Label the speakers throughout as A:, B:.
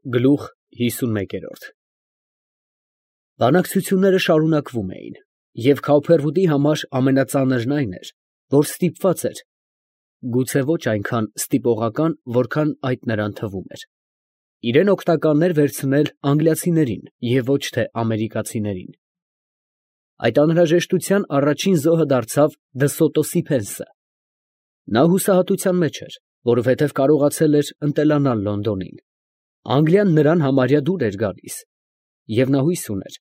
A: Գլուխ 51 Բանակցությունները շարունակվում էին, և Քաուփերվուդի համար ամենածանրն այն էր, որ ստիպված էր, գուցե ոչ այնքան ստիպողական, որքան այդ նրան թվում էր, իրեն օգնականներ վերցնել անգլիացիներին և ոչ թե ամերիկացիներին։ Այդ անհրաժեշտության առաջին զոհը դարձավ Դսոտո Սիփենսը։ Նա հուսահատության մեջ էր, որովհետև կարողացել էր ընտելանալ Լոնդոնին։ Անգլիան նրան համարյա դուր էր գալիս, և նա հույս ուներ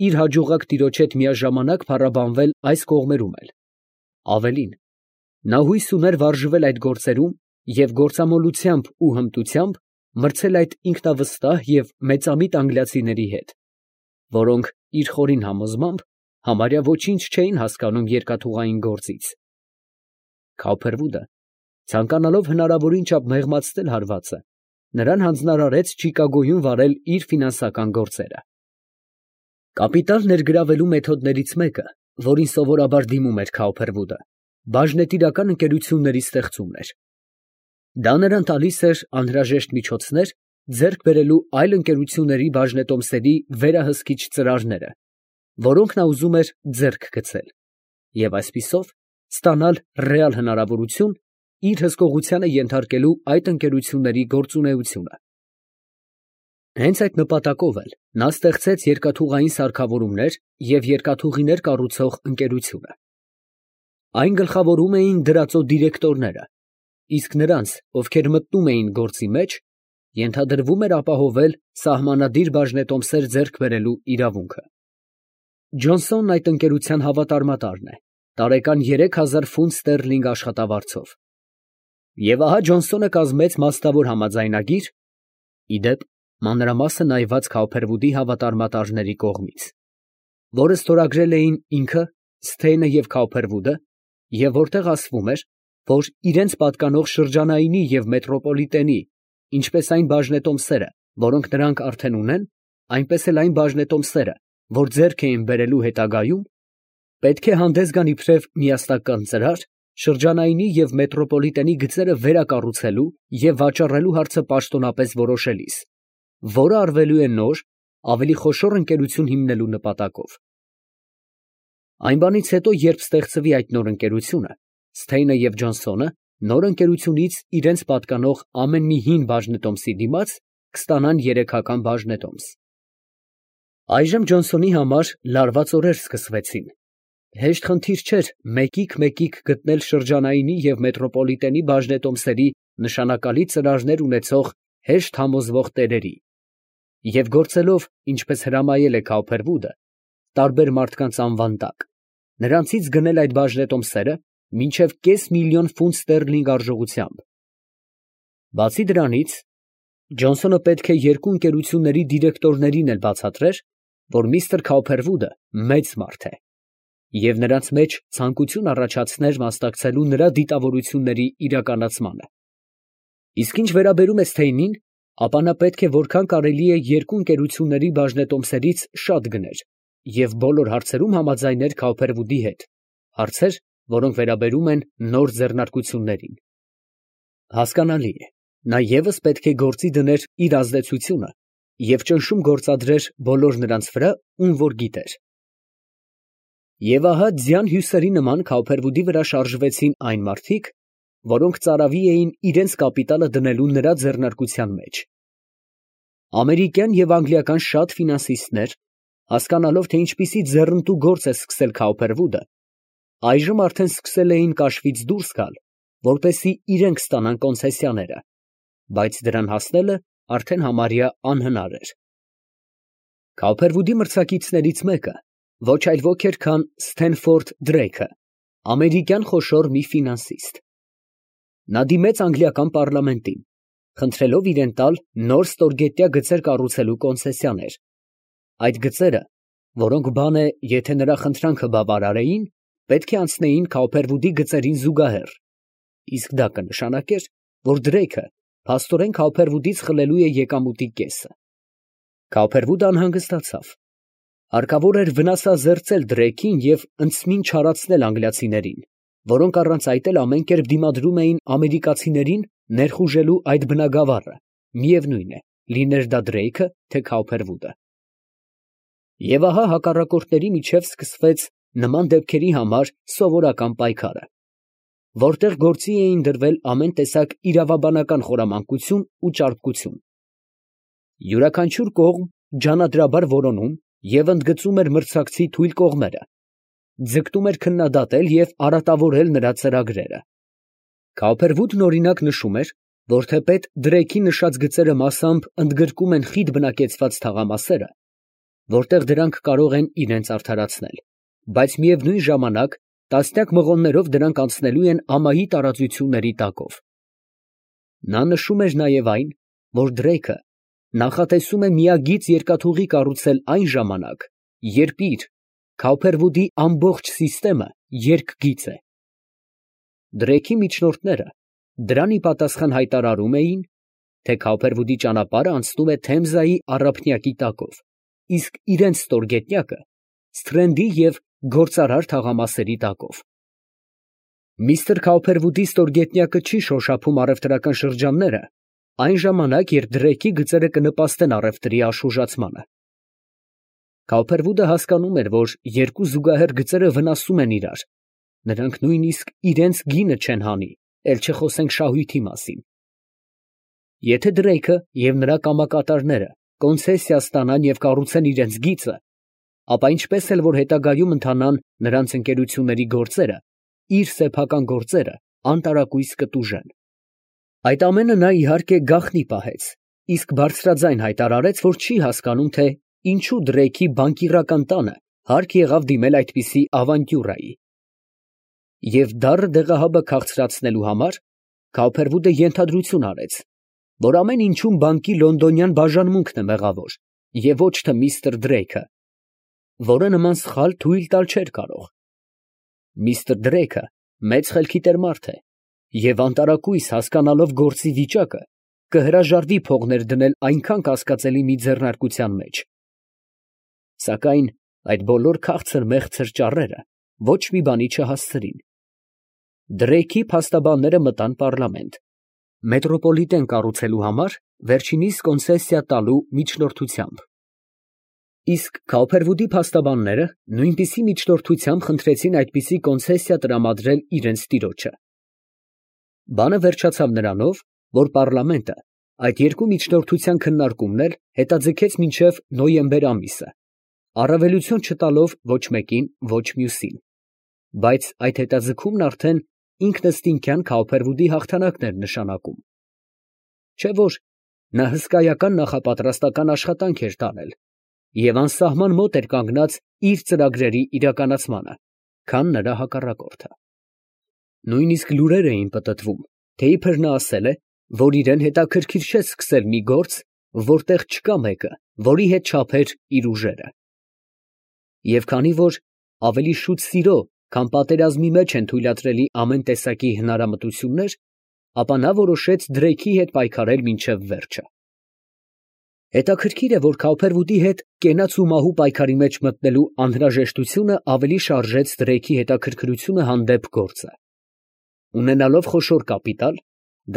A: իր հաջողակ տիրոջ հետ միաժամանակ փառաբանվել այս կողմերում էլ։ Ավելին, նա հույս ուներ վարժվել այդ գործերում և գործամոլությամբ ու հմտությամբ մրցել այդ ինքնավստահ և մեծամիտ անգլիացիների հետ, որոնք իր խորին համոզմամբ համարյա ոչինչ չէին հասկանում երկաթուղային գործից։ Քաուփերվուդը, ցանկանալով հնարավորին չափ մեղմացնել հարվածը, նրան հանձնարարեց Չիկագոյում վարել իր ֆինանսական գործերը։ Կապիտալ ներգրավելու մեթոդներից մեկը, որին սովորաբար դիմում էր Քաուփերվուդը, բաժնետիրական ընկերությունների ստեղծումն էր։ Դա նրան տալիս էր անհրաժեշտ միջոցներ ձեռք բերելու այլ ընկերությունների բաժնետոմսերի վերահսկիչ ծրարները, որոնք նա ուզում էր ձեռք գցել, և այսպիսով ստանալ ռեալ հնարավորություն իր հսկողությանը ենթարկելու այդ ընկերությունների գործունեությունը։ Հենց այդ նպատակով էլ նա ստեղծեց երկաթուղային սարքավորումներ և երկաթուղիներ կառուցող ընկերությունը։ Այն գլխավորում էին դրածո դիրեկտորները, իսկ նրանց, ովքեր մտնում էին գործի մեջ, ենթադրվում էր ապահովել սահմանադիր բաժնետոմսեր ձեռք բերելու իրավունքը։ Ջոնսոնն այդ ընկերության հավատարմատարն է, տարեկան 3000 ֆունտ ստերլինգ աշխատավարձով։ Եվ ահա Ջոնսոնը կազմեց մասնավոր համաձայնագիր, ի դեպ, մանրամասը նայված Քաուփերվուդի հավատարմատարների կողմից, որը ստորագրել էին ինքը, Սթեյնը և Քաուփերվուդը, և որտեղ ասվում էր, որ իրենց պատկանող շրջանայինի և մետրոպոլիտենի, ինչպես այն բաժնետոմսերը, որոնք նրանք արդեն ունեն, այնպես էլ այն բաժնետոմսերը, որ ձեռք էին բերելու հետագայում, պետք է հանդես գան իբրև միասնական ծրար շրջանայինի և մետրոպոլիտենի գծերը վերակառուցելու և վաճառելու հարցը պաշտոնապես որոշելիս, որը արվելու է նոր, ավելի խոշոր ընկերություն հիմնելու նպատակով։ Այն բանից հետո, երբ ստեղծվի այդ նոր ընկերությունը, Սթեյնը և Ջոնսոնը նոր ընկերությունից իրենց պատկանող ամեն մի հին բաժնետոմսի դիմաց կստանան երեքական բաժնետոմս։ Այժմ Ջոնսոնի համար լարված օրեր սկսվեցին։ Հեշտ խնդիր չէր մեկիկ գտնել շրջանայինի և մետրոպոլիտենի բաժնետոմսերի նշանակալի ծրարներ ունեցող հեշտ համոզվող տերերի, և գործելով, ինչպես հրամայել է Քաուփերվուդը, տարբեր մարդկանց անվան տակ, նրանցից գնել այդ բաժնետոմսերը մինչև կես միլիոն ֆունտ ստերլինգ արժողությամբ։ Բացի դրանից, Ջոնսոնը պետք է երկու ընկերությունների դիրեկտորներին էլ բացատրեր, որ միստր Քաուփերվուդը մեծ մարդ է, և նրանց մեջ ցանկություն առաջացներ մասնակցելու նրա դիտավորությունների իրականացմանը։ Իսկ ինչ վերաբերում է Սթեյնին, ապա նա պետք է որքան կարելի է երկու ընկերությունների բաժնետոմսերից շատ գներ և բոլոր հարցերում համաձայներ Քաուփերվուդի հետ, հարցեր, որոնք վերաբերում են նոր ձեռնարկություններին։ Հասկանալի է, նա ևս պետք է գործի դներ իր ազդեցությունը և ճնշում գործադրեր բոլոր նրանց վրա, ում որ գիտեր։ Եվ ահա ձյան հյուսերի նման Քաուփերվուդի վրա շարժվեցին այն մարդիկ, որոնք ծարավի էին իրենց կապիտալը դնելու նրա ձեռնարկության մեջ։ Ամերիկյան և անգլիական շատ ֆինանսիստներ, հասկանալով, թե ինչպիսի ձեռնտու գործ է սկսել Քաուփերվուդը, այժմ արդեն սկսել էին կաշվից դուրս գալ, որպեսզի իրենք ստանան կոնցեսիաները, բայց դրան հասնելը արդեն համարյա անհնար էր։ Քաուփերվուդի մրցակիցներից մեկը ոչ այլ ոք էր, քան Սթենֆորդ Դրեյքը, ամերիկյան խոշոր մի ֆինանսիստ։ Նա դիմեց անգլիական պառլամենտին, խնդրելով իրեն տալ նոր ստորգետնյա գծեր կառուցելու կոնցեսիաներ։ Այդ գծերը, որոնք բան է, եթե նրա խնդրանքը բավարարեին, պետք է անցնեին Քաուփերվուդի գծերին զուգահեռ, իսկ դա կնշանակեր, որ Դրեյքը փաստորեն Քաուփերվուդից խլելու է եկամուտի կեսը։ Քաուփերվուդը անհանգստացավ։ Հարկավոր էր վնասազերծել Դրեյքին և ընդսմին չարացնել անգլիացիներին, որոնք առանց այդ էլ ամեն կերպ դիմադրում էին ամերիկացիներին ներխուժելու այդ բնագավառը, միևնույն է, լիներ դա Դրեյքը, թե Քաուփերվուդը։ Եվ ահա հակառակորդների միջև սկսվեց նման դեպքերի համար սովորական պայքարը, որտեղ գործի էին դրվել ամեն տեսակ իրավաբանական խորամանկություն ու ճարպկություն։ Յուրաքանչյուր կողմ ջանադրաբար որոնում և ընդգծում էր մրցակցի թույլ կողմերը, ձգտում էր քննադատել և արատավորել նրա ծրագրերը։ Քաուփերվուդն օրինակ նշում էր, որ թեպետ Դրեյքի նշած գծերը մասամբ ընդգրկում են խիտ բնակեցված թաղամասերը, որտեղ դրանք կարող են իրենց արդարացնել, բայց միևնույն ժամանակ տասնյակ մղոններով դրանք անցնելու են ամայի տարածությունների տակով։ Նա նշում էր նաև այն, որ Դրեյքը նախատեսում է միագիծ երկաթուղի կառուցել այն ժամանակ, երբ իր Քաուփերվուդի ամբողջ սիստեմը երկգիծ է։ Դրեյքի միջնորդները դրան ի պատասխան հայտարարում էին, թե Քաուփերվուդի ճանապարհը անցնում է Թեմզայի առափնյակի տակով, իսկ իրենց ստորգետնյակը Սթրենդի և գործարար թաղամասերի տակով։ Միստր Քաուփերվուդի ստորգետնյակը չի շոշափում առևտրական շրջանները այն ժամանակ, երբ Դրեյքի գծերը կնպաստեն առևտրի աշխուժացմանը։ Քաուփերվուդը հասկանում էր, որ երկու զուգահեռ գծերը վնասում են իրար, նրանք նույնիսկ իրենց գինը չեն հանի, էլ չխոսենք շահույթի մասին։ Եթե Դրեյքը և նրա կամակատարները կոնցեսիա ստանան և կառուցեն իրենց գիծը, ապա ինչպես էլ որ հետագայում ընթանան նրանց ընկերությունների գործերը, իր սեփական գործերը անտարակույս կտուժեն։ Այդ ամենը նա իհարկե գաղտնի պահեց, իսկ բարձրաձայն հայտարարեց, որ չի հասկանում, թե ինչու Դրեյքի բանկիրական տանը հարկ եղավ դիմել այդպիսի ավանտյուրայի։ Եվ դառը դեղահաբը քաղցրացնելու համար Քաուփերվուդը ենթադրություն արեց, որ ամեն ինչում բանկի լոնդոնյան բաժանմունքն է մեղավոր, և ոչ թե միստր Դրեյքը, որը նման սխալ թույլ տալ չէր կարող։ Միստր Դրեյքը մեծ խելքի տեր մարդ է և անտարակույս հասկանալով գործի վիճակը, կհրաժարվի փողներ դնել այնքան կասկածելի մի ձեռնարկության մեջ։ Սակայն այդ բոլոր քաղցր մեղցր ճառերը ոչ մի բանի չհասցրին։ Դրեյքի փաստաբանները մտան պառլամենտ, մետրոպոլիտեն կառուցելու համար վերջինիս կոնցեսիա տալու միջնորդությամբ։ Իսկ Քաուփերվուդի փաստաբանները նույնպիսի միջնորդությամբ խնդրեցին այդպիսի կոնցեսիա տրամադրել իրենց տիրոջը։ Բանը վերջացավ նրանով, որ պառլամենտը այդ երկու միջնորդության քննարկումն էլ հետաձգեց մինչև նոյեմբեր ամիսը, առավելություն չտալով ոչ մեկին, ոչ մյուսին, բայց այդ հետաձգումն արդեն ինքնըստինքյան Քաուփերվուդի հաղթանակն էր նշանակում։ Չէ՞ որ նա հսկայական նախապատրաստական աշխատանք էր տարել և անսահման մոտ էր կանգնած իր ծրագրերի իրականացմանը, քան նրա հակառակորդը։ Նույնիսկ լուրեր էին պտտվում, թե իբր նա ասել է, որ իրեն հետաքրքիր չէ սկսել մի գործ, որտեղ չկա մեկը, որի հետ չափեր իր ուժերը։ Եվ քանի որ ավելի շուտ սիրո, քան պատերազմի մեջ են թույլատրելի ամեն տեսակի հնարամտություններ, ապա նա որոշեց Դրեյքի հետ պայքարել մինչև վերջը։ Հետաքրքիր է, որ Քաուփերվուդի հետ կենաց ու մահու պայքարի մեջ մտնելու անհրաժեշտությունը ավելի շարժեց Դրեյքի հետաքրքրությունը հանդեպ գործը։ Ունենալով խոշոր կապիտալ,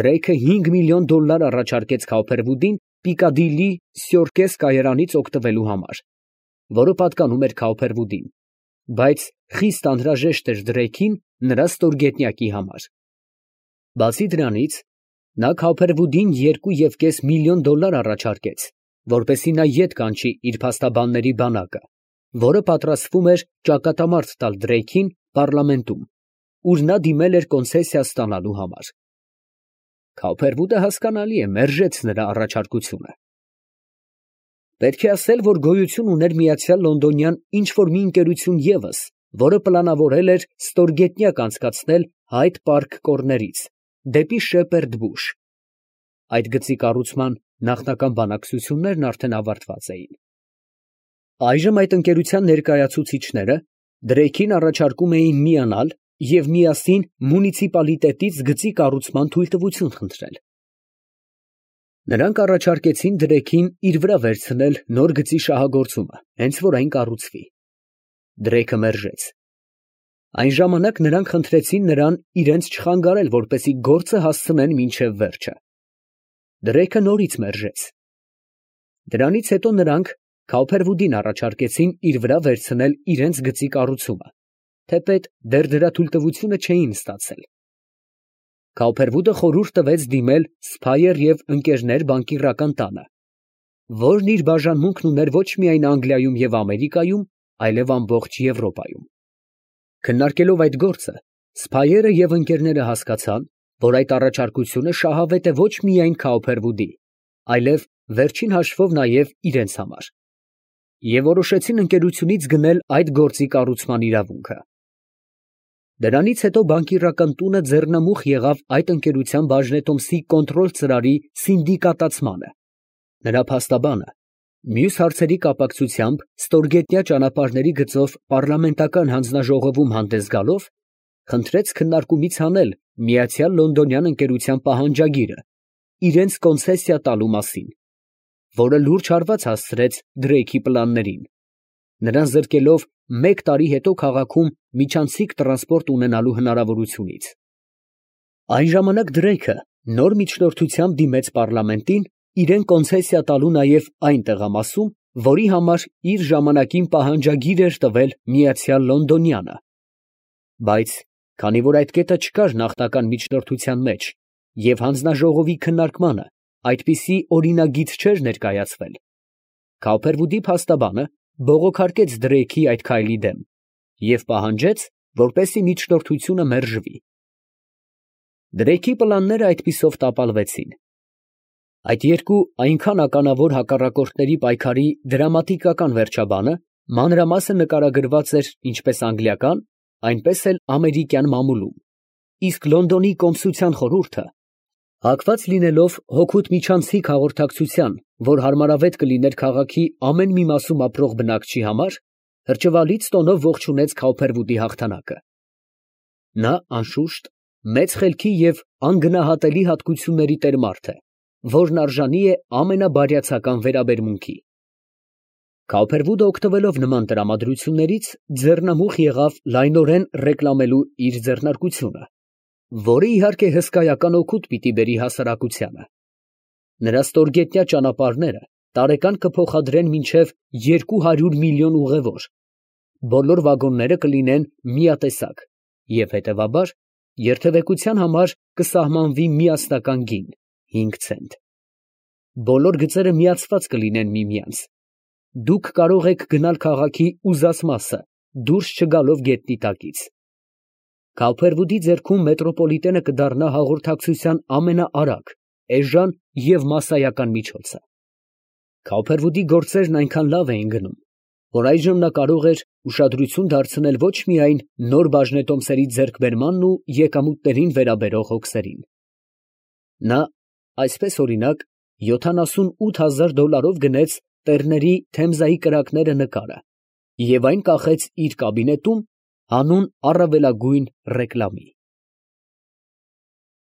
A: Դրեյքը $5 միլիոն առաջարկեց Քաուփերվուդին Պիկադիլի Սյորկես կայարանից օգտվելու համար, որը պատկանում էր Քաուփերվուդին, բայց խիստ անհրաժեշտ էր Դրեյքին նրա ստորգետնյակի համար։ Բացի դրանից, նա Քաուփերվուդին $2.5 միլիոն առաջարկեց, որպեսզի նա ետ կանչի իր փաստաբանների բանակը, որը պատրաստվում էր ճակատամարտ տալ Դրեյքին պառլամենտում, ուր նա դիմել էր կոնցեսիա ստանալու համար։ Քաուփերվուդը, հասկանալի է, մերժեց նրա առաջարկությունը։ Պետք է ասել, որ գոյություն ուներ միացյալ Լոնդոնյան ինչ֊որ մի ընկերություն ևս, որը պլանավորել էր ստորգետնյակ անցկացնել Հայդ Պարք կորներից դեպի Շեպերդ Բուշ։ Այդ գծի կառուցման նախնական բանակցություններն արդեն ավարտված էին։ Այժմ այդ ընկերության ներկայացուցիչները Դրեյքին առաջարկում էին միանալ և միասին մունիցիպալիտետից գծի կառուցման թույլտվություն խնդրել։ Նրանք առաջարկեցին Դրեյքին իր վրա վերցնել նոր գծի շահագործումը, հենց որ այն կառուցվի։ Դրեյքը մերժեց։ Այն ժամանակ նրանք խնդրեցին նրան իրենց չխանգարել, որպեսզի գործը հասցնեն մինչև վերջը։ Դրեյքը նորից մերժեց Դրանից հետո նրանք Քауփերվուդին առաջարկեցին իր վրա վերցնել իրենց գծի կառուցումը, թեպետ դեռ դրա թույլտվությունը չէին ստացել։ Քауփերվուդը խորհուրդ տվեց դիմել Սփայեր և ընկերներ բանկիրական տանը, որն իր բաժանմունքն ուներ ոչ միայն Անգլիայում և Ամերիկայում, այլև ամբողջ Եվրոպայում։ Քննարկելով այդ գործը, Սփայերը և ընկերները հասկացան, որ այդ առաջարկությունը շահավետ է ոչ միայն Քաուփերվուդի, այլև վերջին հաշվով նաև իրենց համար, և որոշեցին ընկերությունից գնել այդ գործի կառուցման իրավունքը։ Դրանից հետո բանկիրական տունը ձեռնամուխ եղավ այդ ընկերության բաժնետոմսի կոնտրոլ ծրարի սինդիկատացմանը։ Նրա փաստաբանը, մյուս հարցերի կապակցությամբ ստորգետնյա ճանապարհների գծով պառլամենտական հանձնաժողովում հանդես գալով, խնդրեց քննարկումից հանել Միացյալ Լոնդոնյան ընկերության պահանջագիրը իրենց կոնցեսիա տալու մասին, որը լուրջ հարված հասցրեց Դրեյքի պլաններին, նրան զրկելով մեկ տարի հետո քաղաքում միջանցիկ տրանսպորտ ունենալու հնարավորությունից։ Այն ժամանակ Դրեյքը նոր միջնորդությամբ դիմեց պառլամենտին իրեն կոնցեսիա տալու նաև այն տեղամասում, որի համար իր ժամանակին պահանջագիր էր տվել Միացյալ Լոնդոնյանը, բայց քանի որ այդ կետը չկար նախնական միջնորդության մեջ և հանձնաժողովի քննարկմանը այդպիսի օրինագիծ չէր ներկայացվել, Քաուփերվուդի փաստաբանը բողոքարկեց Դրեյքի այդ քայլի դեմ և պահանջեց, որպեսզի միջնորդությունը մերժվի։ Դրեյքի պլանները այդպիսով տապալվեցին։ Այդ երկու այնքան ականավոր հակառակորդների պայքարի դրամատիկական վերջաբանը մանրամասն նկարագրված էր ինչպես անգլիական, այնպես էլ ամերիկյան մամուլում, իսկ Լոնդոնի կոմսության խորհուրդը, հակված լինելով հօգուտ միջանցիկ հաղորդակցության, որ հարմարավետ կլիներ քաղաքի ամեն մի մասում ապրող բնակչի համար, հրճվալից տոնով ողջունեց Քաուփերվուդի հաղթանակը։ Նա, անշուշտ, մեծ խելքի և անգնահատելի հատկությունների տեր մարդ է, որն արժանի է ամենաբարյացակամ վերաբերմունքի։ Քաուփերվուդը օգտվելով նման տրամադրություններից, ձեռնամուխ եղավ լայնորեն ռեկլամելու իր ձեռնարկությունը, որը իհարկե հսկայական օգուտ պիտի բերի հասարակությանը։ Նրա ստորգետնյա ճանապարհները տարեկան կփոխադրեն մինչև 200 միլիոն ուղևոր, բոլոր վագոնները կլինեն միատեսակ և հետևաբար երթևեկության համար կսահմանվի միասնական գին՝ 5 ցենտ։ Բոլոր գծերը միացված կլինեն միմյանց։ Դուք կարող եք գնալ քաղաքի ուզած մասը, դուրս չգալով գետնի տակից։ Քաուփերվուդի ձեռքում մետրոպոլիտենը կդառնա հաղորդակցության ամենաարագ, էժան և մասսայական միջոցը։ Քաուփերվուդի գործերն այնքան լավ էին գնում, որ այժմ նա կարող էր ուշադրություն դարձնել ոչ միայն նոր բաժնետոմսերի ձեռքբերմանն ու եկամուտներին վերաբերող հոգսերին։ Նա այսպես, օրինակ, $78,000 գնեց Տերների Թեմզայի կրակները նկարը և այն կախեց իր կաբինետում հանուն առավելագույն ռեկլամի։